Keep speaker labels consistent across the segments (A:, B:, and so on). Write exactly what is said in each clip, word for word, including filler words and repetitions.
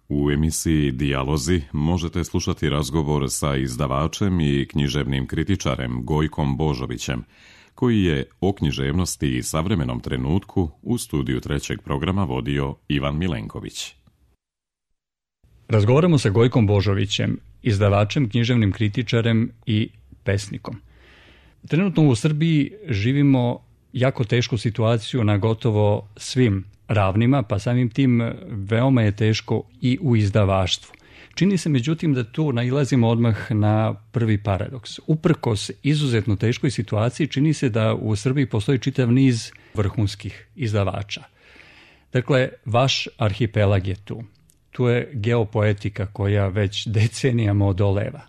A: U emisiji Dijalozi možete slušati razgovor sa izdavačem i književnim kritičarem Gojkom Božovićem, koji je o književnosti i savremenom trenutku u studiju trećeg programa vodio Ivan Milenković.
B: Razgovaramo sa Gojkom Božovićem, izdavačem, književnim kritičarem i pesnikom. Trenutno u Srbiji živimo jako tešku situaciju na gotovo svim ravnima, pa samim tim veoma je teško i u izdavaštvu. Čini se međutim da tu nailazimo odmah na prvi paradoks. Uprkos izuzetno teškoj situaciji čini se da u Srbiji postoji čitav niz vrhunskih izdavača. Dakle, vaš arhipelag je tu. Tu je geopoetika koja već decenijama odoleva.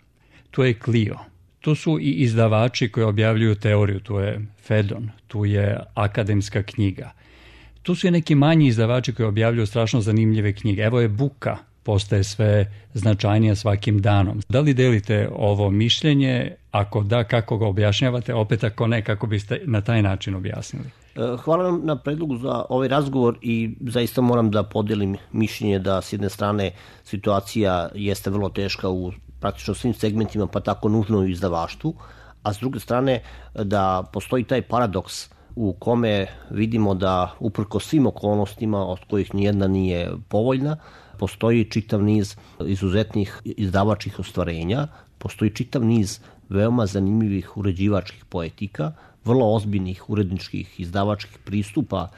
B: Tu je Clio. Tu su i izdavači koji objavljuju teoriju. Tu je Fedon, tu je akademska knjiga. Tu su i neki manji izdavači koji objavljuju strašno zanimljive knjige. Evo je Buka, postaje sve značajnija svakim danom. Da li delite ovo mišljenje? Ako da, kako ga objašnjavate? Opet ako ne, kako biste na taj način objasnili?
C: Hvala vam na predlogu za ovaj razgovor i zaista moram da podelim mišljenje da s jedne strane situacija jeste vrlo teška u praktično svim segmentima, pa tako nužno u izdavaštvu, a s druge strane da postoji taj paradoks u kome vidimo da uprko svim okolnostima od kojih nijedna nije povoljna, postoji čitav niz izuzetnih izdavačkih ostvarenja, postoji čitav niz veoma zanimljivih uređivačkih poetika, vrlo ozbiljnih uredničkih izdavačkih pristupa,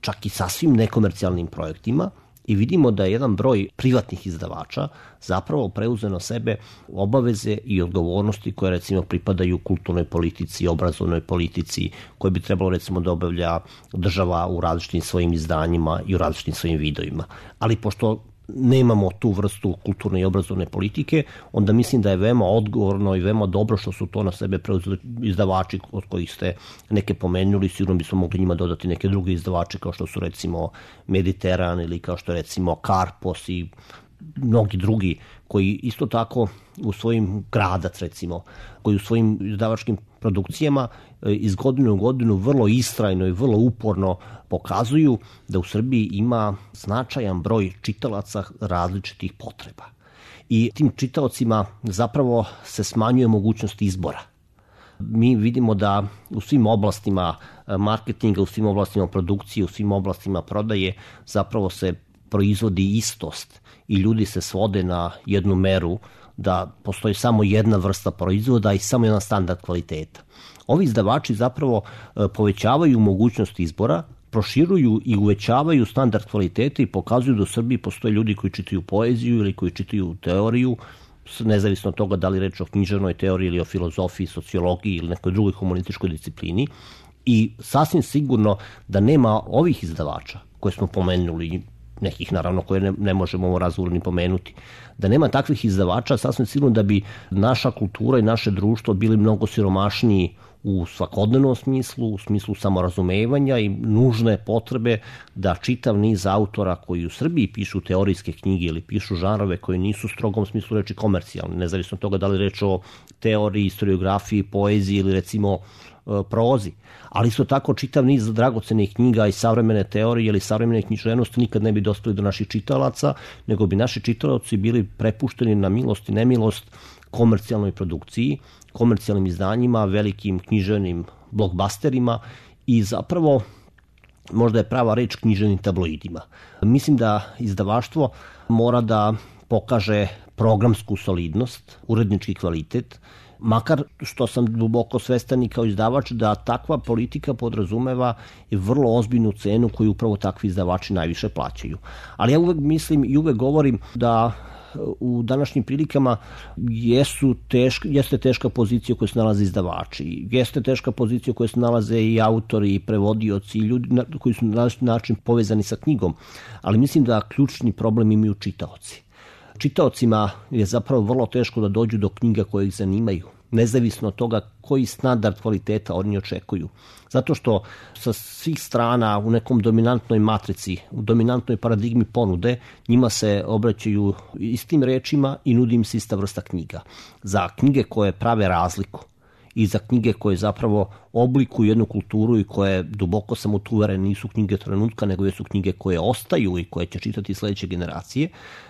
C: čak i sasvim nekomercijalnim projektima, i vidimo da je jedan broj privatnih izdavača zapravo preuzeo na sebe obaveze i odgovornosti koje recimo pripadaju kulturnoj politici, obrazovnoj politici, koje bi trebalo recimo da obavlja država u različitim svojim izdanjima i u različitim svojim vidovima. Ali pošto nemamo tu vrstu kulturne i obrazovne politike, onda mislim da je veoma odgovorno i veoma dobro što su to na sebe preuzeli izdavači od kojih ste neke pomenuli. Sigurno bismo mogli njima dodati neke druge izdavače kao što su recimo Mediteran ili kao što je recimo Karpos i mnogi drugi koji isto tako u svojim Gradac recimo, koji u svojim izdavačkim produkcijama iz godine u godinu vrlo istrajno i vrlo uporno pokazuju da u Srbiji ima značajan broj čitalaca različitih potreba. I tim čitaocima zapravo se smanjuje mogućnost izbora. Mi vidimo da u svim oblastima marketinga, u svim oblastima produkcije, u svim oblastima prodaje zapravo se proizvodi istost i ljudi se svode na jednu meru da postoji samo jedna vrsta proizvoda i samo jedan standard kvaliteta. Ovi izdavači zapravo povećavaju mogućnost izbora, proširuju i uvećavaju standard kvaliteta i pokazuju da u Srbiji postoje ljudi koji čitaju poeziju ili koji čitaju teoriju, nezavisno od toga da li reč o književnoj teoriji ili o filozofiji, sociologiji ili nekoj drugoj humanističkoj disciplini. I sasvim sigurno da nema ovih izdavača koje smo pomenuli, nekih naravno koje ne, ne možemo ovo razgovorno ni pomenuti, da nema takvih izdavača, sasvim sigurno da bi naša kultura i naše društvo bili mnogo siromašniji u svakodnevnom smislu, u smislu samorazumevanja i nužne potrebe da čitav niz autora koji u Srbiji pišu teorijske knjige ili pišu žanrove koji nisu u strogom smislu reči komercijalni, nezavisno od toga da li reč o teoriji, historiografiji, poeziji ili recimo prozi, ali isto tako čitav niz dragocenih knjiga i savremene teorije ili savremene književnosti nikad ne bi dospeli do naših čitalaca, nego bi naši čitaoci bili prepušteni na milost i nemilost komercijalnoj produkciji, komercijalnim izdanjima, velikim književnim blockbusterima i zapravo možda je prava reč književnim tabloidima. Mislim da izdavaštvo mora da pokaže programsku solidnost, urednički kvalitet, makar što sam duboko svestan i kao izdavač da takva politika podrazumeva i vrlo ozbiljnu cenu koju upravo takvi izdavači najviše plaćaju. Ali ja uvek mislim i uvek govorim da u današnjim prilikama jesu teška, jeste teška pozicija u kojoj se nalaze izdavači, jeste teška pozicija u kojoj se nalaze i autori i prevodioci i ljudi koji su na različit način povezani sa knjigom, ali mislim da ključni problem imaju čitaoci. Čitaocima je zapravo vrlo teško da dođu do knjiga koje ih zanimaju, nezavisno od toga koji standard kvaliteta oni očekuju. Zato što sa svih strana u nekom dominantnoj matrici, u dominantnoj paradigmi ponude, njima se obraćaju istim rečima i nudi im se ista vrsta knjiga. Za knjige koje prave razliku i za knjige koje zapravo oblikuju jednu kulturu i koje, duboko sam uveren, nisu knjige trenutka, nego jesu knjige koje ostaju i koje će čitati sledeće generacije,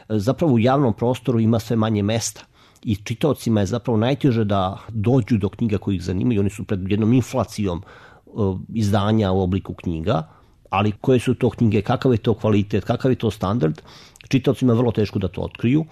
C: zapravo u javnom prostoru ima sve manje mesta. I čitaocima je zapravo najteže da dođu do knjiga koji ih zanimaju. Oni su pred jednom inflacijom izdanja u obliku knjiga, ali koje su to knjige, kakav je to kvalitet, kakav je to standard, čitaocima je vrlo teško da to otkriju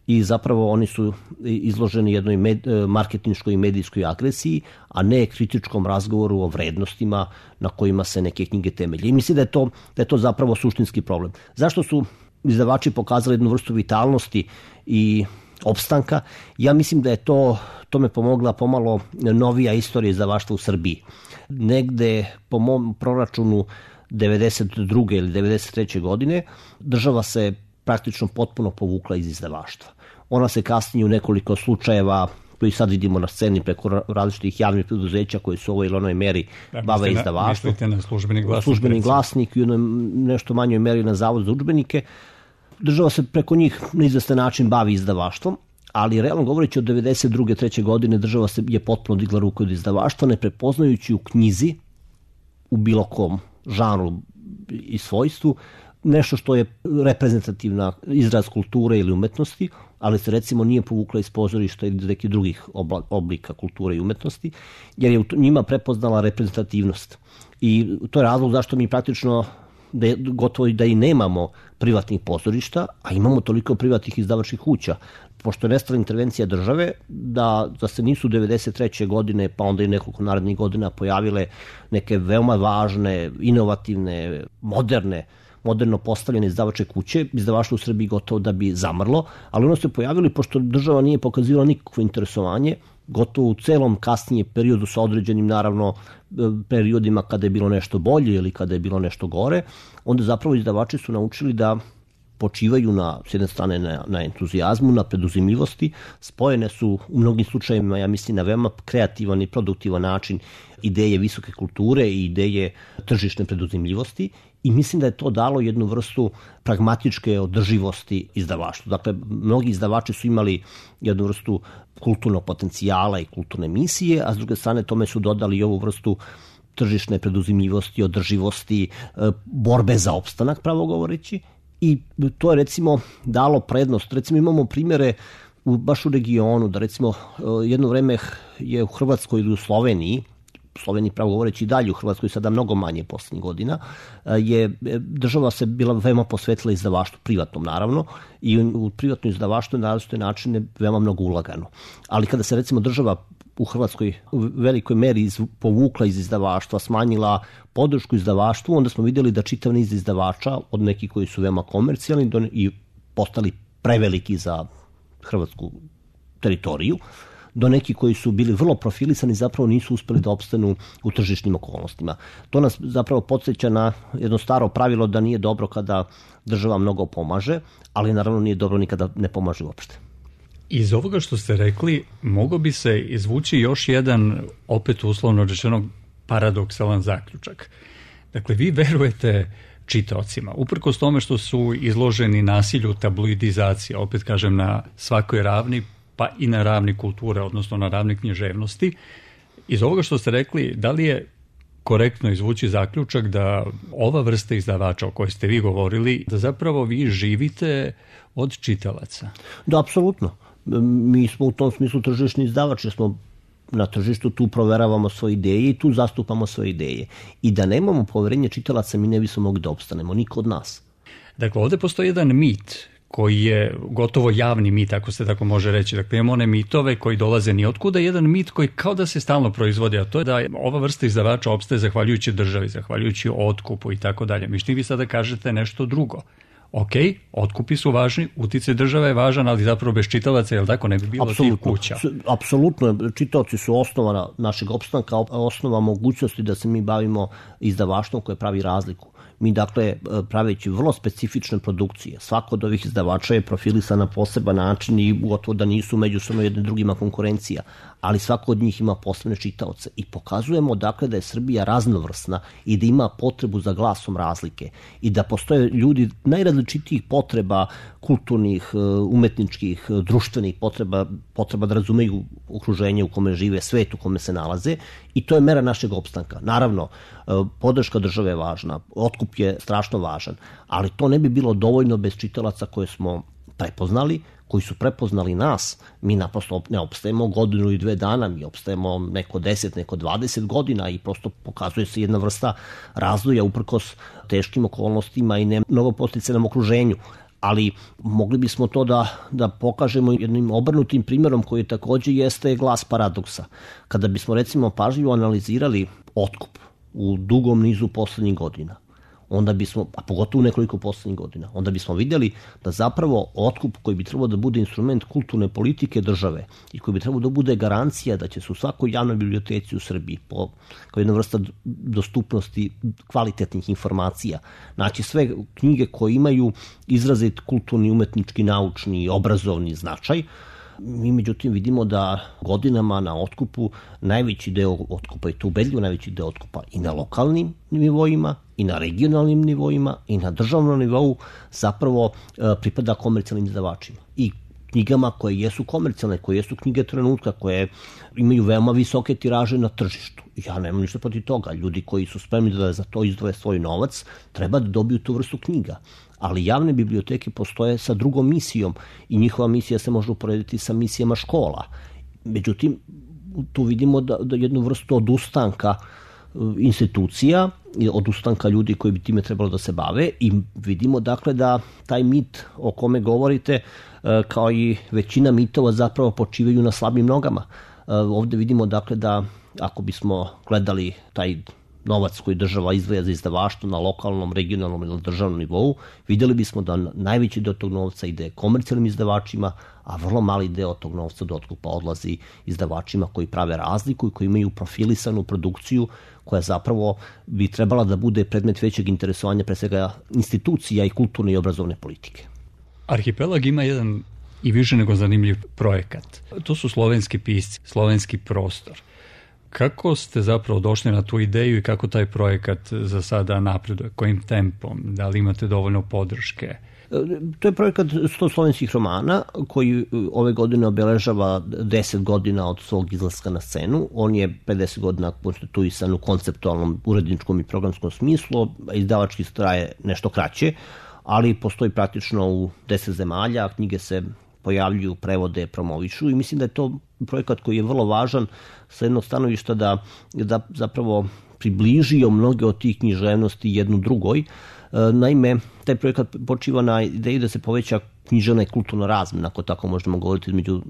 C: i zapravo oni su izloženi jednoj med, marketinškoj i medijskoj agresiji, a ne kritičkom razgovoru o vrednostima na kojima se neke knjige temelje. I mislim da je to, da je to zapravo suštinski problem. Zašto su izdavači pokazali jednu vrstu vitalnosti i opstanka? Ja mislim da je to, to me pomogla pomalo novija istorija izdavaštva u Srbiji. Negde po mom proračunu devedeset druge ili devedeset treće godine država se praktično potpuno povukla iz izdavaštva. Ona se kasnije u nekoliko slučajeva koji sad vidimo na sceni preko različitih javnih preduzeća koji su u ovoj ili onoj meri da, bave izdavaštvom.
B: Mislite na službeni glasnik?
C: Službeni glasnik i u nešto manjoj meri na Zavod za udžbenike. Država se preko njih na izvestan način bavi izdavaštvom, ali realno govoreći od devedeset druge treće godine država se je potpuno digla ruku od izdavaštva, ne prepoznajući u knjizi, u bilo kom žanru i svojstvu, nešto što je reprezentativna izraz kulture ili umetnosti, ali se recimo nije povukla iz pozorišta ili nekih drugih oblika kulture i umetnosti, jer je u njima prepoznala reprezentativnost. I to je razlog zašto mi praktično da je, gotovo da i nemamo privatnih pozorišta, a imamo toliko privatnih izdavačkih kuća. Pošto je nestala intervencija države, da, da se nisu devedeset treće godine, pa onda i nekoliko narednih godina pojavile neke veoma važne, inovativne, moderne, moderno postavljene izdavače kuće, izdavaštvo u Srbiji gotovo da bi zamrlo, ali ono se pojavili pošto država nije pokazivala nikakvo interesovanje, gotovo u celom kasnijem periodu sa određenim, naravno, periodima kada je bilo nešto bolje ili kada je bilo nešto gore, onda zapravo izdavači su naučili da počivaju na, s jedne strane na, na entuzijazmu, na preduzimljivosti, spojene su u mnogim slučajevima, ja mislim, na veoma kreativan i produktivan način ideje visoke kulture i ideje tržišne preduzimljivosti i mislim da je to dalo jednu vrstu pragmatičke održivosti izdavaštvu. Dakle, mnogi izdavači su imali jednu vrstu kulturnog potencijala i kulturne misije, a s druge strane tome su dodali i ovu vrstu tržišne preduzimljivosti, održivosti, borbe za opstanak, pravo govoreći. I to je recimo dalo prednost. Recimo imamo primjere u, baš u regionu, da recimo jedno vreme je u Hrvatskoj ili u Sloveniji, Sloveniji pravo govoreći i dalje, u Hrvatskoj sada mnogo manje poslednjih godina, je država se bila veoma posvetila izdavaštvu, privatnom naravno, i u privatno izdavaštvo na različite načine veoma mnogo ulagano. Ali kada se recimo država u Hrvatskoj u velikoj meri iz, povukla iz izdavaštva, smanjila podršku izdavaštvu, onda smo vidjeli da čitav niz izdavača, od nekih koji su veoma komercijalni i postali preveliki za hrvatsku teritoriju, do neki koji su bili vrlo profilisani zapravo nisu uspeli da opstanu u tržišnim okolnostima. To nas zapravo podsjeća na jedno staro pravilo da nije dobro kada država mnogo pomaže, ali naravno nije dobro ni kada ne pomaže uopšte.
B: Iz ovoga što ste rekli, mogo bi se izvući još jedan, opet uslovno rečeno, paradoksalan zaključak. Dakle, vi verujete čitaocima, uprkos tome što su izloženi nasilju tabloidizacije, opet kažem na svakoj ravni, pa i na ravni kulture, odnosno na ravni književnosti. Iz ovoga što ste rekli, da li je korektno izvući zaključak da ova vrsta izdavača o kojoj ste vi govorili, da zapravo vi živite od čitalaca?
C: Da, apsolutno. Mi smo u tom smislu tržišni izdavač, jer smo na tržištu, tu proveravamo svoje ideje i tu zastupamo svoje ideje. I da nemamo poverenje čitalaca, mi ne bismo mogli da opstanemo, niko od nas.
B: Dakle, ovde postoji jedan mit koji je gotovo javni mit, ako se tako može reći. Dakle, imamo one mitove koji dolaze ni otkuda, jedan mit koji kao da se stalno proizvodi, a to je da ova vrsta izdavača opstaje zahvaljujući državi, zahvaljujući otkupu i tako dalje. Mišli vi sada kažete nešto drugo. Ok, otkupi su važni, uticaj države je važan, ali zapravo bez čitalaca, jel tako, ne bi bilo tih kuća?
C: Apsolutno, čitaoci su osnova našeg opstanka, osnova mogućnosti da se mi bavimo izdavaštvom koje pravi razliku. Mi dakle praveći vrlo specifične produkcije, svako od ovih izdavača je profilisan na poseban način i gotovo da nisu međusobno jedne drugima konkurencija, ali svako od njih ima posebne čitaoce i pokazujemo dakle da je Srbija raznovrsna i da ima potrebu za glasom razlike i da postoje ljudi najrazličitijih potreba, kulturnih, umetničkih, društvenih potreba, potreba da razumeju okruženje u kome žive, svet u kome se nalaze i to je mera našeg opstanka. Naravno, podrška države je važna, otkup je strašno važan, ali to ne bi bilo dovoljno bez čitalaca koje smo prepoznali, koji su prepoznali nas. Mi naprosto ne opstajemo godinu ili dve dana, mi opstajemo neko deset, neko dvadeset godina i prosto pokazuje se jedna vrsta razvoja uprkos teškim okolnostima i ne mnogo posticanom okruženju. Ali mogli bismo to da, da pokažemo jednim obrnutim primjerom koji takođe jeste glas paradoksa. Kada bismo recimo pažljivo analizirali otkup u dugom nizu poslednjih godina, onda bismo, a pogotovo nekoliko poslednjih godina, onda bismo vidjeli da zapravo otkup koji bi trebao da bude instrument kulturne politike države i koji bi trebao da bude garancija da će se u svakoj javnoj biblioteci u Srbiji po, kao jedna vrsta dostupnosti kvalitetnih informacija naći sve knjige koje imaju izrazit kulturni, umetnički, naučni i obrazovni značaj. Mi međutim vidimo da godinama na otkupu najveći deo otkupa i to ubedljivo najveći deo otkupa i na lokalnim nivoima i na regionalnim nivoima i na državnom nivou zapravo pripada komercijalnim izdavačima i knjigama koje jesu komercijalne, koje jesu knjige trenutka, koje imaju veoma visoke tiraže na tržištu. Ja nemam ništa protiv toga. Ljudi koji su spremni da za to izdvoje svoj novac treba da dobiju tu vrstu knjiga. Ali javne biblioteke postoje sa drugom misijom i njihova misija se može uporediti sa misijama škola. Međutim, tu vidimo da, da jednu vrstu odustanka institucija, odustanka ljudi koji bi time trebalo da se bave i vidimo dakle da taj mit o kome govorite kao i većina mitova zapravo počivaju na slabim nogama. Ovde vidimo dakle da ako bismo gledali taj novac koji država izdvaja za izdavaštvo na lokalnom, regionalnom ili državnom nivou, vidjeli bismo da najveći deo tog novca ide komercijalnim izdavačima, a vrlo mali deo tog novca do otkupa odlazi izdavačima koji prave razliku i koji imaju profilisanu produkciju koja zapravo bi trebala da bude predmet većeg interesovanja pre svega institucija i kulturne i obrazovne politike.
B: Arhipelag ima jedan i više nego zanimljiv projekat. To su slovenski pisci, slovenski prostor. Kako ste zapravo došli na tu ideju i kako taj projekat za sada napreduje? Kojim tempom? Da li imate dovoljno podrške?
C: To je projekat sto slovenskih romana koji ove godine obeležava deset godina od svog izlaska na scenu. On je pedeset godina konstituisan u konceptualnom, uredničkom i programskom smislu, a izdavački traje nešto kraće, ali postoji praktično u deset zemalja, knjige se pojavljuju, prevode, promovišu i mislim da je to projekat koji je vrlo važan sa jednog stanovišta da, da zapravo približio mnoge od tih književnosti jednu drugoj. Naime, taj projekat počiva na ideji da se poveća književna i kulturna razmena, ako tako možemo govoriti, između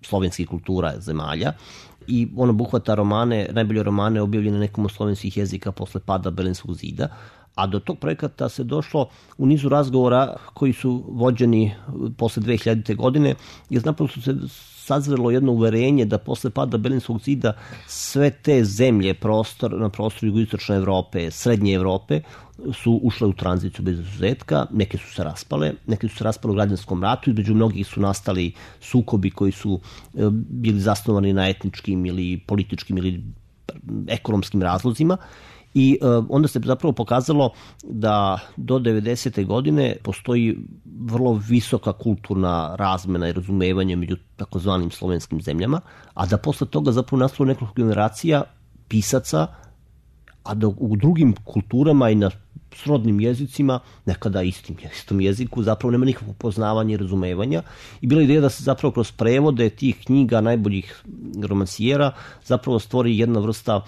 C: slovenskih kultura zemalja i on obuhvata romane, najbolje romane objavljene na nekom od slovenskih jezika posle pada Berlinskog zida, a do tog projekata se došlo u nizu razgovora koji su vođeni posle dve hiljadite. godine, jer napravo su se sazrelo jedno uverenje da posle pada Berlinskog zida sve te zemlje prostor, na prostoru jugoistočne Evrope, srednje Evrope su ušle u tranziciju bez izuzetka, neke su se raspale, neke su se raspale u građanskom ratu i među mnogih su nastali sukobi koji su bili zasnovani na etničkim ili političkim ili ekonomskim razlozima. I onda se zapravo pokazalo da do devedesete. godine postoji vrlo visoka kulturna razmena i razumevanje među takozvanim slovenskim zemljama, a da posle toga zapravo nastalo nekoliko generacija pisaca, a da u drugim kulturama i na srodnim jezicima, nekada istim, istom jeziku, zapravo nema nikakvog poznavanja i razumevanja. I bila ideja da se zapravo kroz prevode tih knjiga najboljih romansijera zapravo stvori jedna vrsta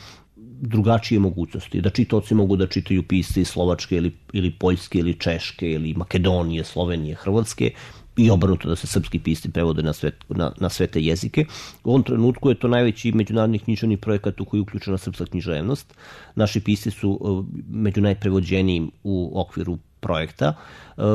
C: drugačije mogućnosti, da čitaoci mogu da čitaju pisce iz Slovačke ili, ili Poljske ili Češke ili Makedonije, Slovenije, Hrvatske i obrnuto da se srpski pisci prevode na sve, na, na sve te jezike. U ovom trenutku je to najveći međunarodni književni projekat u koji je uključena srpska književnost. Naši pisci su među najprevođenijim u okviru projekta.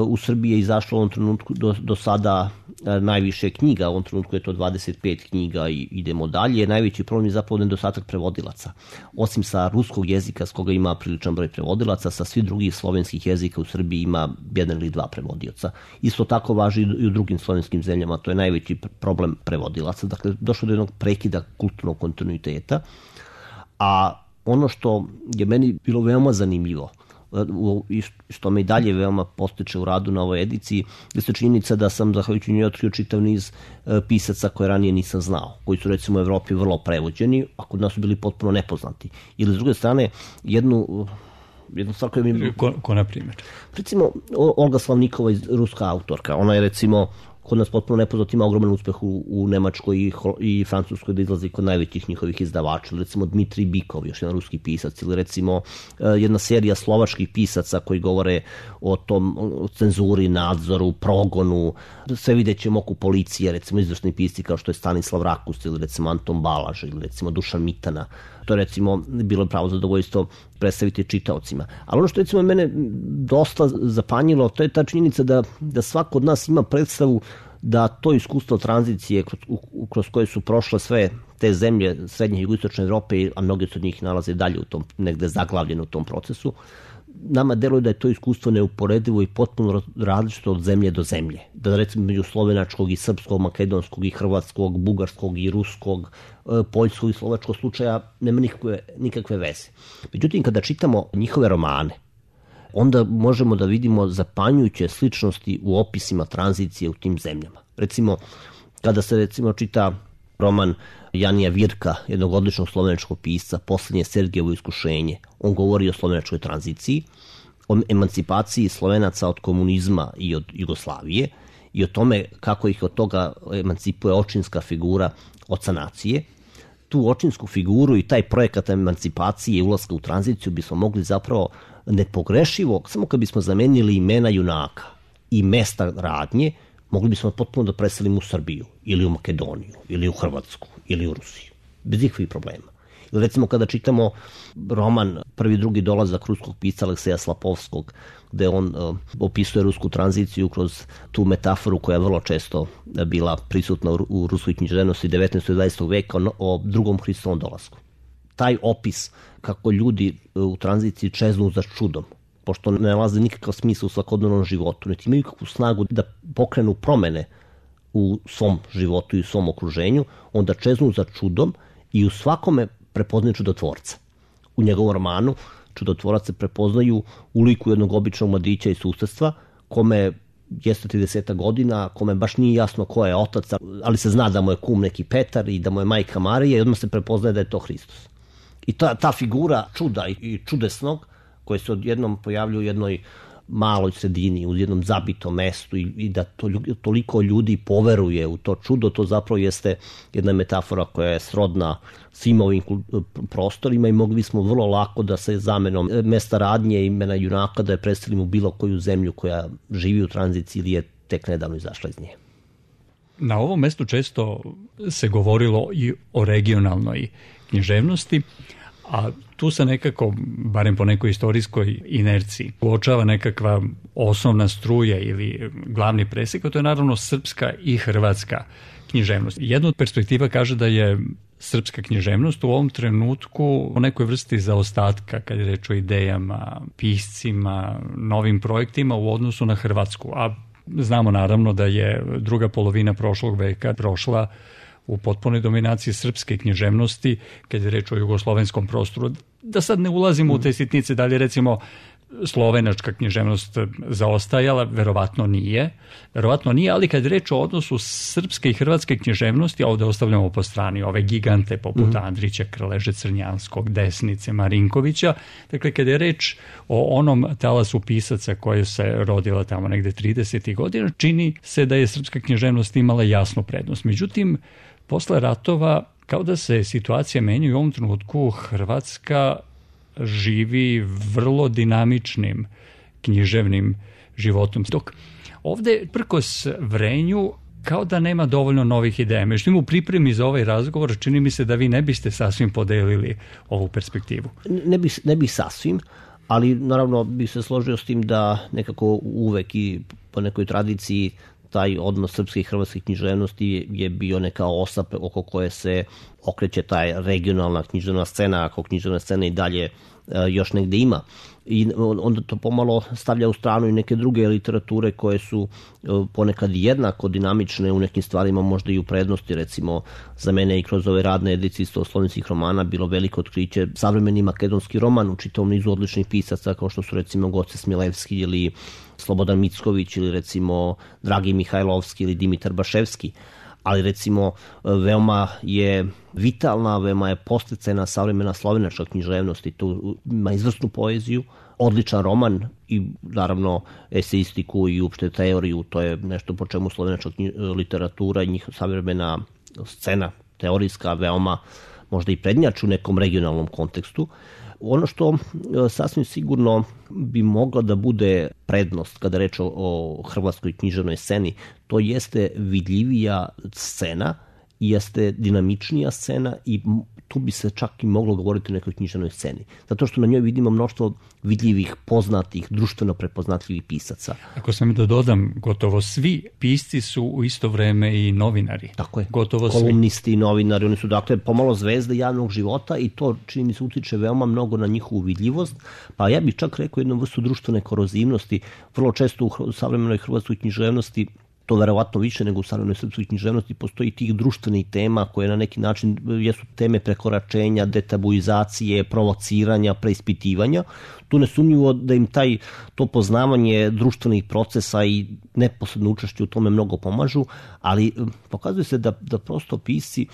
C: U Srbiji je izašlo u ovom trenutku do, do sada najviše knjiga, u ovom trenutku je to dvadeset pet knjiga i idemo dalje. Najveći problem je zapravo nedostatak prevodilaca. Osim sa ruskog jezika, s koga ima priličan broj prevodilaca, sa svih drugih slovenskih jezika u Srbiji ima jedan ili dva prevodioca. Isto tako važi i u drugim slovenskim zemljama, to je najveći problem prevodilaca. Dakle, došlo do jednog prekida kulturnog kontinuiteta. A ono što je meni bilo veoma zanimljivo, i što me i dalje veoma postiče u radu na ovoj ediciji, jeste činjenica da sam zahvaljujući njoj otkrio čitav niz pisaca koje ranije nisam znao, koji su recimo u Evropi vrlo prevođeni, a kod nas su bili potpuno nepoznati. Ili s druge strane, jednu jednu stvar koja mi...
B: Ko, ko na primjer?
C: Recimo, Olga Slavnikova, ruska autorka, ona je recimo kod nas potpuno nepoznat, ima ogroman uspeh u, u Nemačkoj i, i Francuskoj, da izlazi kod najvećih njihovih izdavača. Recimo Dmitrij Bikov, još jedan ruski pisac, ili recimo jedna serija slovačkih pisaca koji govore o tom o cenzuri, nadzoru, progonu. Sve vidjet ćemo oko policije, recimo izvršni pisci kao što je Stanislav Rakus ili recimo Anton Balaž ili recimo Dušan Mitana. To je recimo bilo pravo zadovoljstvo predstaviti čitaocima. Ali ono što recimo mene dosta zapanjilo, to je ta činjenica da, da svako od nas ima predstavu da to iskustvo tranzicije kroz, kroz koje su prošle sve te zemlje srednje i jugoistočne Evrope, a mnoge od njih nalaze dalje u tom, negde zaglavljeno u tom procesu, nama deluje da je to iskustvo neuporedivo i potpuno različito od zemlje do zemlje. Da recimo među slovenačkog i srpskog, makedonskog i hrvatskog, bugarskog i ruskog, poljskog i slovačkog slučaja nema nikakve, nikakve veze. Međutim, kada čitamo njihove romane, onda možemo da vidimo zapanjujuće sličnosti u opisima tranzicije u tim zemljama. Recimo, kada se recimo čita roman Janija Virka, jednog odličnog slovenačkog pisca, Poslednje Sergejevo iskušenje, on govori o slovenačkoj tranziciji, o emancipaciji Slovenaca od komunizma i od Jugoslavije i o tome kako ih od toga emancipuje očinska figura oca nacije. Tu očinsku figuru i taj projekat emancipacije i ulaska u tranziciju bismo mogli zapravo nepogrešivo, samo kad bismo zamenili imena junaka i mesta radnje, mogli bismo potpuno da preselimo u Srbiju ili u Makedoniju ili u Hrvatsku ili u Rusiju. Bez ikakvih problema. Ili recimo kada čitamo roman Prvi i drugi dolazak ruskog pisca Alekseja Slapovskog, gde on uh, opisuje rusku tranziciju kroz tu metaforu koja je vrlo često bila prisutna u, u ruskoj književnosti devetnaestog i dvadesetog veka o, o drugom Hristovom dolasku. Taj opis kako ljudi u tranziciji čeznu za čudom, pošto ne nalaze nikakav smisla u svakodnevnom životu, niti imaju kakvu snagu da pokrenu promene u svom životu i u svom okruženju, onda čeznu za čudom i u svakome prepoznaju čudotvorca. U njegovom romanu čudotvorac se prepoznaju u liku jednog običnog mladića iz susedstva, kome jeste trideset godina, kome baš nije jasno ko je otac, ali se zna da mu je kum neki Petar i da mu je majka Marija i odmah se prepoznaje da je to Hristos. I ta, ta figura čuda i čudesnog, koje se odjednom pojavljaju u jednoj maloj sredini, u jednom zabitom mestu i, i da to, toliko ljudi poveruje u to čudo, to zapravo jeste jedna metafora koja je srodna svim ovim prostorima i mogli smo vrlo lako da se zamenom mesta radnje imena junaka da je predstavimo u bilo koju zemlju koja živi u tranziciji ili je tek nedavno izašla iz nje.
B: Na ovom mestu često se govorilo i o regionalnoj književnosti, a tu se nekako, barem po nekoj istorijskoj inerciji, uočava nekakva osnovna struja ili glavni presek, a to je naravno srpska i hrvatska književnost. Jedna od perspektiva kaže da je srpska književnost u ovom trenutku u nekoj vrsti zaostatka kad je reč o idejama, piscima, novim projektima u odnosu na Hrvatsku. A znamo naravno da je druga polovina prošlog veka prošla u potpunoj dominaciji srpske književnosti, kad je reč o jugoslovenskom prostoru. Da sad ne ulazimo u te sitnice, da li recimo slovenačka književnost zaostajala, verovatno nije, verovatno nije, ali kad je reč o odnosu srpske i hrvatske književnosti, a ovde ostavljamo po strani ove gigante poput mm. Andrića, Krleže, Crnjanskog, Desnice, Marinkovića, dakle kad je reč o onom talasu pisaca koje se rodila tamo negde tridesetih godina, čini se da je srpska književnost imala jasnu prednost. Međutim, posle ratova, kao da se situacija menja i u ovom trenutku Hrvatska živi vrlo dinamičnim književnim životom. Dok ovde, prkos vrenju, kao da nema dovoljno novih ideja. Međutim, u pripremi za ovaj razgovor čini mi se da vi ne biste sasvim podelili ovu perspektivu.
C: Ne bih, ne bih sasvim, ali naravno bih se složio s tim da nekako uvek i po nekoj tradiciji taj odnos srpske i hrvatske književnosti je bio neka osa oko koje se okreće taj regionalna književna scena, ako književna scena i dalje još negde ima. I onda to pomalo stavlja u stranu i neke druge literature koje su ponekad jednako dinamične u nekim stvarima, možda i u prednosti. Recimo, za mene i kroz ove radne edicije stoslovenskih romana bilo veliko otkriće savremeni makedonski roman u čitavom nizu odličnih pisaca, kao što su recimo Goce Smilevski ili Slobodan Micković ili recimo Dragi Mihajlovski ili Dimitar Baševski. Ali recimo veoma je vitalna, veoma je posticajna savremena slovenačka književnost i tu ima izvrsnu poeziju, odličan roman i naravno eseistiku i uopšte teoriju, to je nešto po čemu slovenačka literatura i njihova savremena scena teorijska veoma možda i prednjači u nekom regionalnom kontekstu. Ono što sasvim sigurno bi mogla da bude prednost kada reč o, o hrvatskoj književnoj sceni, to jeste vidljivija scena, jeste dinamičnija scena i tu bi se čak i moglo govoriti o nekoj književnoj sceni. Zato što na njoj vidimo mnoštvo vidljivih, poznatih, društveno prepoznatljivih pisaca.
B: Ako sam da dodam, gotovo svi pisci su u isto vreme i novinari.
C: Tako je,
B: gotovo
C: kolumnisti
B: i
C: novinari, oni su dakle pomalo zvezde javnog života i to čini mi se utiče veoma mnogo na njihovu vidljivost. Pa ja bih čak rekao jednu vrstu društvene korozivnosti. Vrlo često u savremenoj hrvatskoj književnosti, to verovatno više nego u savremenoj srpskoj književnosti, postoji tih društvenih tema koje na neki način jesu teme prekoračenja, detabuizacije, provociranja, preispitivanja. Tu nesumnjivo da im taj, to poznavanje društvenih procesa i neposredno učešće u tome mnogo pomažu, ali pokazuje se da, da prosto pisci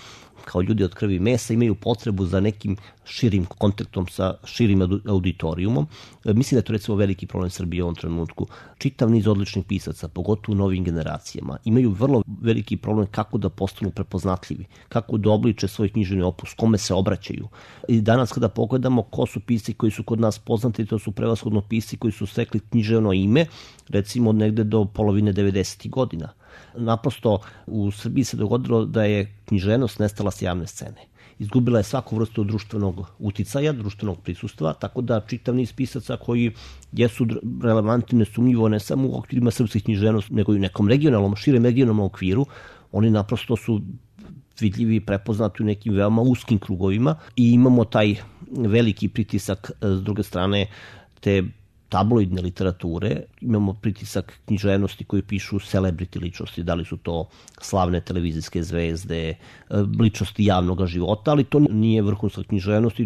C: kao ljudi od krvi i mesa imaju potrebu za nekim širim kontaktom sa širim auditorijumom. Mislim da je to recimo veliki problem Srbije u ovom trenutku. Čitav niz odličnih pisaca, pogotovo u novim generacijama, imaju vrlo veliki problem kako da postanu prepoznatljivi, kako da obliče svoj književni opus, kome se obraćaju. I danas kada pogledamo ko su pisci koji su kod nas poznati, to su prevashodno pisci koji su stekli književno ime, recimo negde do polovine devedesetih godina. Naprosto u Srbiji se dogodilo da je književnost nestala s javne scene. Izgubila je svaku vrstu društvenog uticaja, društvenog prisustva, tako da čitav niz pisaca koji jesu relevantni nesumnjivo ne samo u okvirima srpskih književnosti, nego i u nekom regionalnom, širem regionalnom okviru, oni naprosto su vidljivi i prepoznati u nekim veoma uskim krugovima i imamo taj veliki pritisak s druge strane te tabloidne literature, imamo pritisak književnosti koji pišu celebrity ličnosti, da li su to slavne televizijske zvezde, ličnosti javnog života, ali to nije vrhunska književnost,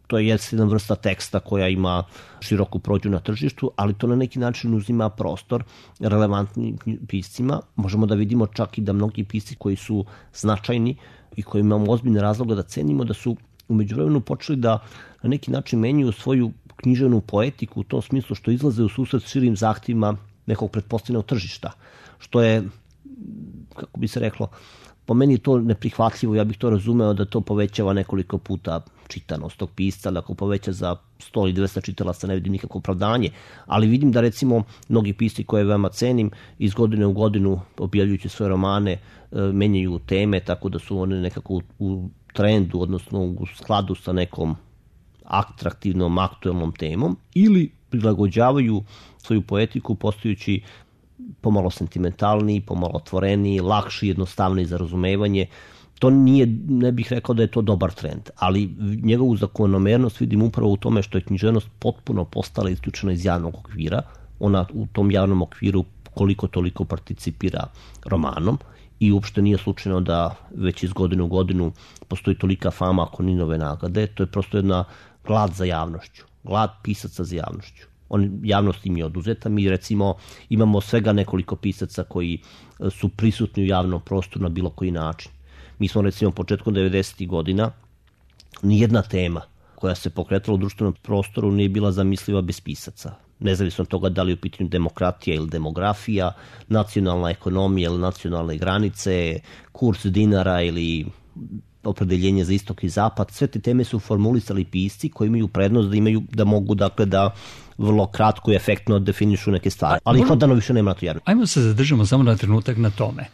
C: to je jedna vrsta teksta koja ima široku prođu na tržištu, ali to na neki način uzima prostor relevantnim piscima. Možemo da vidimo čak i da mnogi pisci koji su značajni i koji imamo ozbiljne razloga da cenimo, da su u međuvremenu počeli da na neki način menjaju svoju književnu poetiku u tom smislu što izlaze u susret širim zahtjevima nekog pretpostavljenog tržišta, što je, kako bi se reklo, po meni je to neprihvatljivo, ja bih to razumeo da to povećava nekoliko puta čitanost tog pisca, da ako poveća za sto ili dvesta čitalaca ne vidim nikakvo opravdanje, ali vidim da recimo mnogi pisci koje veoma cenim iz godine u godinu objavljujući svoje romane menjaju teme tako da su one nekako u trendu, odnosno u skladu sa nekom atraktivnom, aktuelnom temom ili prilagođavaju svoju poetiku postajući pomalo sentimentalniji, pomalo otvoreniji, lakši, jednostavniji za razumevanje. To nije, ne bih rekao da je to dobar trend, ali njegovu zakonomernost vidim upravo u tome što je književnost potpuno postala isključena iz javnog okvira. Ona u tom javnom okviru koliko toliko participira romanom i uopšte nije slučajno da već iz godine u godinu postoji tolika fama ako ni nove nagrade. To je prosto jedna glad za javnošću, glad pisaca za javnošću. On, javnost im je oduzeta. Mi recimo imamo svega nekoliko pisaca koji su prisutni u javnom prostoru na bilo koji način. Mi smo recimo početkom devedesetih godina, nijedna tema koja se pokretala u društvenom prostoru nije bila zamisliva bez pisaca. Nezavisno od toga da li je u pitanju demokratija ili demografija, nacionalna ekonomija ili nacionalne granice, kurs dinara ili opredeljenje za istok i zapad, sve te teme su formulisali pisci koji imaju prednost da imaju, da mogu dakle da vrlo kratko i efektno definišu neke stvari. Ali ih odano više nema na to javno.
B: Ajmo se zadržamo samo na trenutak na tome.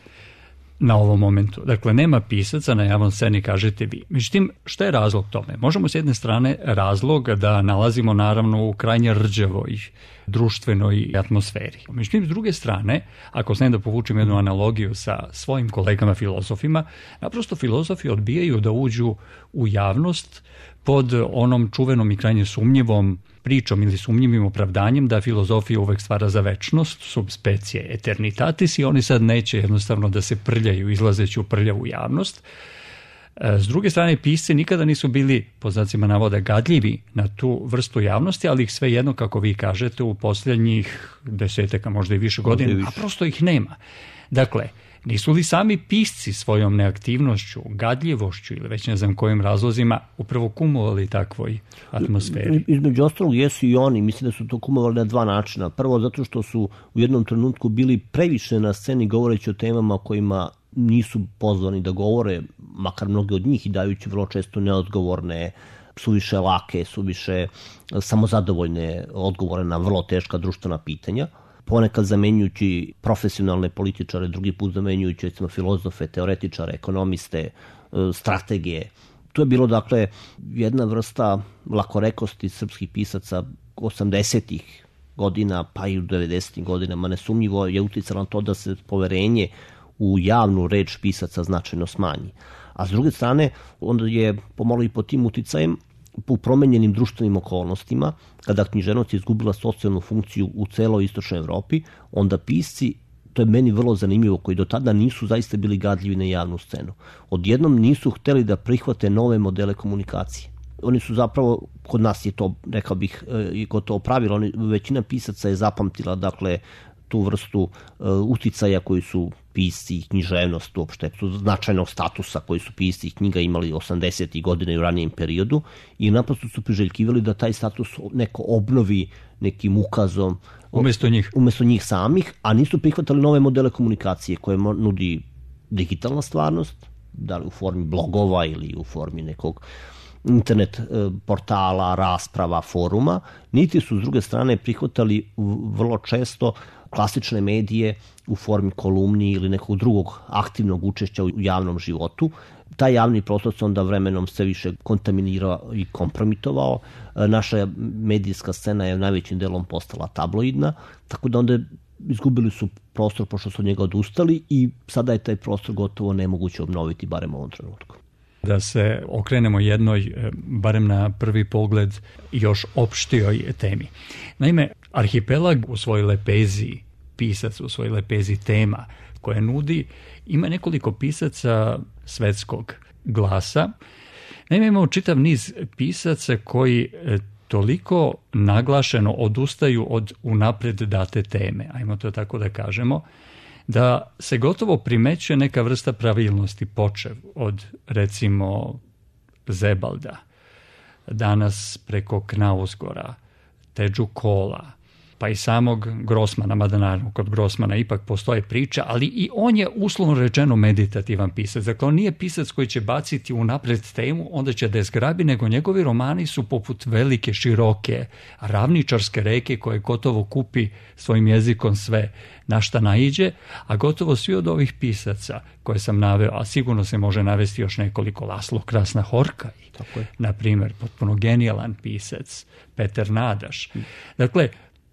B: na ovom momentu. Dakle, nema pisaca na javnom sceni, kažete vi. Međutim, šta je razlog tome? Možemo s jedne strane razlog da nalazimo naravno u krajnje rđavoj društvenoj atmosferi. Međutim, s druge strane, ako smijem da povučem jednu analogiju sa svojim kolegama filozofima, naprosto filozofi odbijaju da uđu u javnost pod onom čuvenom i krajnje sumnjivom pričom ili sumnjivim opravdanjem da filozofija uvek stvara za večnost, sub specie eternitatis, i oni sad neće jednostavno da se prljaju izlazeći u prljavu javnost. S druge strane, pisci nikada nisu bili, po znacima navoda, gadljivi na tu vrstu javnosti, ali ih svejedno, kako vi kažete, u posljednjih desetaka, možda i više godina, a prosto ih nema. Dakle, nisu li sami pisci svojom neaktivnošću, gadljivošću ili već ne znam kojim razlozima upravo kumovali takvoj atmosferi?
C: Između ostalog jesu i oni, mislim da su to kumovali na dva načina. Prvo, zato što su u jednom trenutku bili previše na sceni govoreći o temama o kojima nisu pozvani da govore, makar mnogi od njih, i dajući vrlo često neodgovorne, suviše lake, suviše samozadovoljne odgovore na vrlo teška društvena pitanja. Ponekad zamenjujući profesionalne političare, drugi put zamenjujući recimo filozofe, teoretičare, ekonomiste, strategije. To je bilo dakle jedna vrsta lakorekosti srpskih pisaca osamdesetih godina pa i u devedesetim godinama. Nesumnjivo je uticalo na to da se poverenje u javnu reč pisaca značajno smanji. A s druge strane, onda je pomalo i pod tim uticajem u promenjenim društvenim okolnostima, kada književnost je izgubila socijalnu funkciju u celoj istočnoj Evropi, onda pisci, to je meni vrlo zanimljivo, koji do tada nisu zaista bili gadljivi na javnu scenu, odjednom nisu hteli da prihvate nove modele komunikacije. Oni su zapravo, kod nas je to, rekao bih, i gotovo pravilo, oni, većina pisaca je zapamtila, dakle, tu vrstu uh, uticaja koji su pisci i književnost uopšte, tu značajnog statusa koji su pisci i knjiga imali osamdesetih godina i u ranijem periodu, i naprosto su priželjkivali da taj status neko obnovi nekim ukazom
B: umesto njih.
C: umesto njih samih, a nisu prihvatali nove modele komunikacije koje nudi digitalna stvarnost, da li u formi blogova ili u formi nekog internet portala, rasprava, foruma, niti su s druge strane prihvatali vrlo često klasične medije u formi kolumni ili nekog drugog aktivnog učešća u javnom životu. Taj javni prostor se onda vremenom sve više kontaminirao i kompromitovao. Naša medijska scena je najvećim delom postala tabloidna, tako da onda izgubili su prostor pošto su od njega odustali i sada je taj prostor gotovo nemoguće obnoviti, barem u ovom trenutku.
B: Da se okrenemo jednoj, barem na prvi pogled, još opštijoj temi. Naime, Arhipelag u svojoj lepezi pisac, u svojoj lepezi tema koje nudi, ima nekoliko pisaca svetskog glasa. Naime, imamo čitav niz pisaca koji toliko naglašeno odustaju od unapred date teme, ajmo to tako da kažemo, da se gotovo primećuje neka vrsta pravilnosti, počev od, recimo, Zebalda, danas preko Knausgora, Teđu Kola, pa i samog Grossmana, mada naravno kod Grossmana ipak postoje priča, ali i on je uslovno rečeno meditativan pisac. Dakle, on nije pisac koji će baciti unapred temu, onda će da je zgrabi, nego njegovi romani su poput velike, široke, ravničarske reke koje gotovo kupi svojim jezikom sve na šta naiđe, a gotovo svi od ovih pisaca koje sam naveo, a sigurno se može navesti još nekoliko, Laslo Krasna Horka, na primjer, potpuno genijalan pisac, Peter Nadaš. Dakle,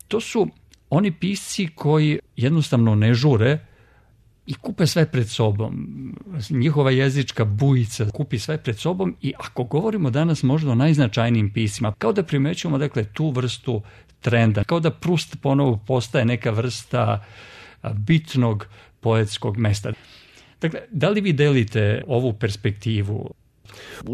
B: to su oni pisci koji jednostavno ne žure i kupe sve pred sobom. Njihova jezička bujica kupi sve pred sobom i ako govorimo danas možda o najznačajnijim piscima, kao da primećujemo dakle, tu vrstu trenda, kao da Proust ponovo postaje neka vrsta bitnog poetskog mesta. Dakle, da li vi delite ovu perspektivu?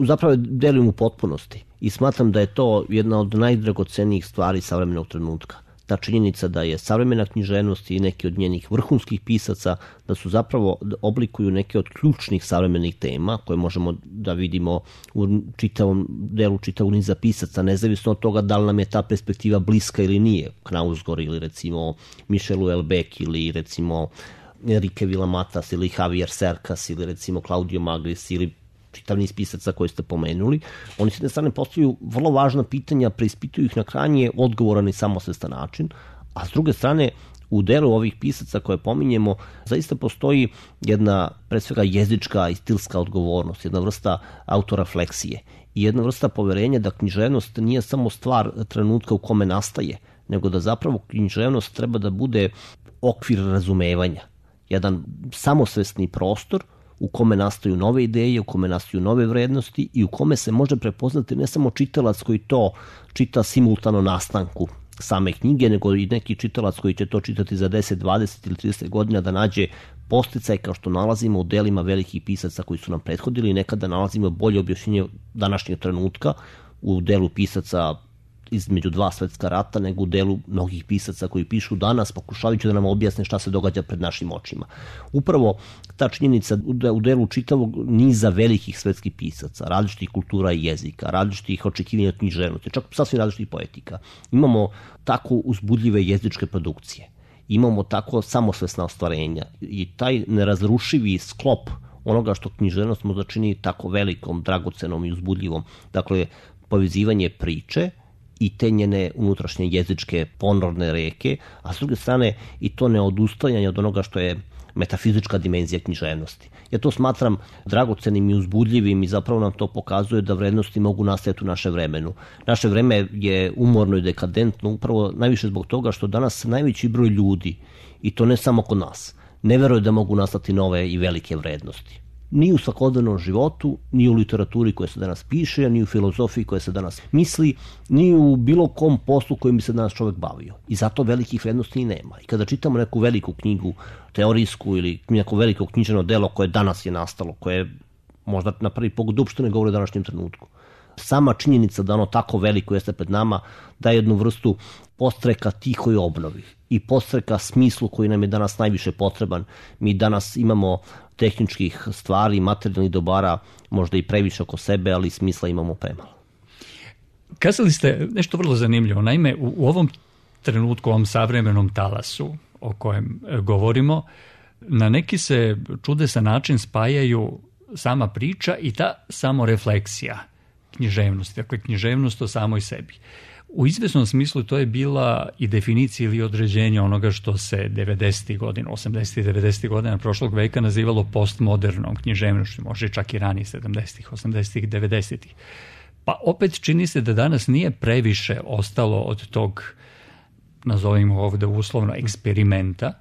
C: Zapravo delim u potpunosti i smatram da je to jedna od najdragocenijih stvari savremenog trenutka. Ta činjenica da je savremena književnost i neki od njenih vrhunskih pisaca da su zapravo oblikuju neke od ključnih savremenih tema koje možemo da vidimo u čitavom delu čitavog niza pisaca, nezavisno od toga da li nam je ta perspektiva bliska ili nije. Knausgor ili recimo Michel Houellebecq ili recimo Enrique Villamatas ili Javier Cercas ili recimo Claudio Magris ili čitav niz pisaca koje ste pomenuli. Oni s jedne strane postavljaju vrlo važna pitanja, preispituju ih na krajnje odgovoran i samosvestan način, a s druge strane U delu ovih pisaca koje pominjemo zaista postoji jedna, pre svega, jezička i stilska odgovornost, jedna vrsta autorefleksije i jedna vrsta poverenja da književnost nije samo stvar trenutka u kome nastaje, nego da zapravo književnost treba da bude okvir razumevanja, jedan samosvesni prostor u kome nastaju nove ideje, u kome nastaju nove vrednosti i u kome se može prepoznati ne samo čitalac koji to čita simultano nastanku same knjige, nego i neki čitalac koji će to čitati za deset, dvadeset ili trideset godina da nađe posticaj kao što nalazimo u delima velikih pisaca koji su nam prethodili i nekada nalazimo bolje objašnjenje današnjeg trenutka u delu pisaca između dva svetska rata nego u delu mnogih pisaca koji pišu danas pokušavajući da nam objasne šta se događa pred našim očima. Upravo ta činjenica u delu čitavog niza velikih svetskih pisaca, različitih kultura i jezika, različitih očekivanja od književnosti, čak sasvim različitih poetika. Imamo tako uzbudljive jezičke produkcije, imamo tako samosvesna ostvarenja i taj nerazrušivi sklop onoga što književnost možda čini tako velikom, dragocenom i uzbudljivom. Dakle, povezivanje priče i te njene unutrašnje jezičke ponorne reke, a s druge strane i to neodustajanje od onoga što je metafizička dimenzija književnosti. Ja to smatram dragocenim i uzbudljivim i zapravo nam to pokazuje da vrednosti mogu nastajati u naše vremenu. Naše vreme je umorno i dekadentno upravo najviše zbog toga što danas najveći broj ljudi, i to ne samo kod nas, ne veruje da mogu nastati nove i velike vrednosti. Ni u svakodnevnom životu, ni u literaturi koja se danas piše, ni u filozofiji koja se danas misli, ni u bilo kom poslu kojim bi se danas čovjek bavio. I zato velikih vrednosti i nema. I kada čitamo neku veliku knjigu, teorijsku ili neko veliko književno delo koje danas je nastalo, koje možda na prvi pogled uopšte ne govori o današnjem trenutku, sama činjenica da ono tako veliko jeste pred nama daje jednu vrstu podstreka tihoj obnovi i podstreka smislu koji nam je danas najviše potreban. Mi danas imamo tehničkih stvari, materijalnih dobara, možda i previše oko sebe, ali smisla imamo premalo.
B: Kazali ste nešto vrlo zanimljivo. Naime, u, u ovom trenutku, u ovom savremenom talasu o kojem govorimo, na neki se čudesan način spajaju sama priča i ta samorefleksija književnosti, dakle književnost o samoj sebi. U izvesnom smislu to je bila i definicija ili određenje onoga što se devedesetih godina, osamdesetih i devedesetih godina prošlog veka nazivalo postmodernom književnošću, može čak i ranije sedamdesetih, osamdesetih, devedesetih. Pa opet čini se da danas nije previše ostalo od tog, nazovimo ovde uslovno, eksperimenta,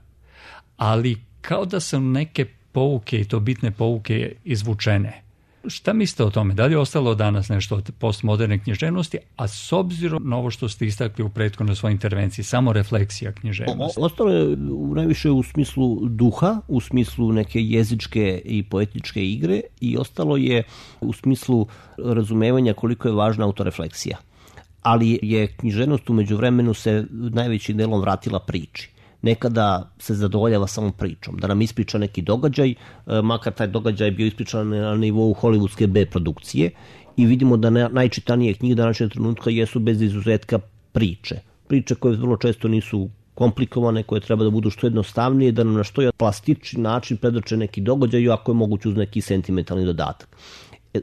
B: ali kao da su neke pouke i to bitne pouke izvučene. Šta mislite o tome? Da li je ostalo danas nešto od postmoderne književnosti, a s obzirom na ovo što ste istakli u prethodnoj svojoj intervenciji, samo refleksija književnosti?
C: Ostalo je u najviše u smislu duha, u smislu neke jezičke i poetičke igre i ostalo je u smislu razumevanja koliko je važna autorefleksija. Ali je književnost u međuvremenu se najvećim delom vratila priči. Nekada se zadovoljava samo pričom, da nam ispriča neki događaj, makar taj događaj bio ispričan na nivou hollywoodske B produkcije i vidimo da najčitanije knjige današnjeg trenutka jesu bez izuzetka priče. Priče koje vrlo često nisu komplikovane, koje treba da budu što jednostavnije, da nam na što je plastični način predoče neki događaj, ako je moguće uz neki sentimentalni dodatak.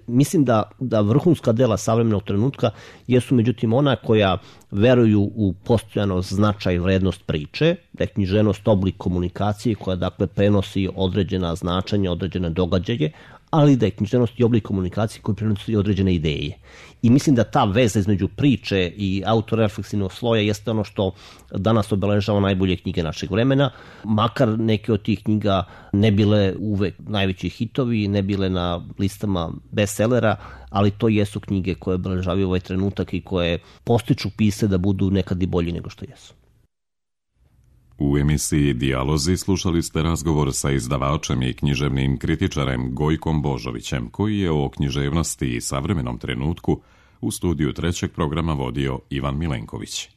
C: Mislim da, da vrhunska dela savremenog trenutka jesu međutim ona koja veruju u postojanost, značaj i vrednost priče, da je književnost oblik komunikacije koja dakle prenosi određena značenja, određene događaje, ali da je književnost i oblik komunikacije koji prenosi određene ideje. I mislim da ta veza između priče i autorefleksivnog sloja jeste ono što danas obeležava najbolje knjige našeg vremena, makar neke od tih knjiga ne bile uvek najveći hitovi, ne bile na listama bestsellera, ali to jesu knjige koje obeležavaju ovaj trenutak i koje postiču pisce da budu nekad i bolji nego što jesu.
A: U emisiji Dijalozi slušali ste razgovor sa izdavačem i književnim kritičarem Gojkom Božovićem, koji je o književnosti i savremenom trenutku u studiju trećeg programa vodio Ivan Milenković.